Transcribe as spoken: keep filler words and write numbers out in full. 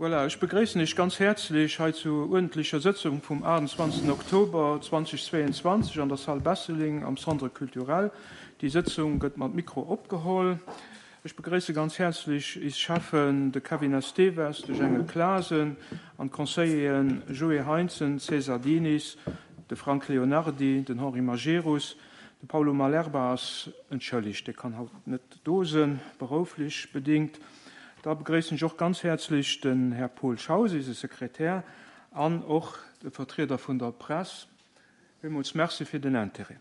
Voilà, ech begréissen Iech ganz häerzlech hei zur uerdentlecher Sëtzung vum achtundzwanzegsten Oktober zweitausendzweiundzwanzeg an der Salle Besseling am Centre Culturel. Déi Sëtzung gëtt mat Mikro opgeholl. Ech begréisse ganz häerzlech is Cheffen, de Kevin Esteves, de Jengel Klasen an d'Conseilleren Joé Heinzen, César Diniz, de Frank Leonardi, den Henri Majerus. De Paulo Malerba ass entschëllegt, dee kann haut net do sinn, berouflech bedingt. Da begréissen ech och ganz häerzlech den Här Paul Schaus, eise Sekretär, an och de Vertrieder vun der Press. Villmools Merci fir den Interêt.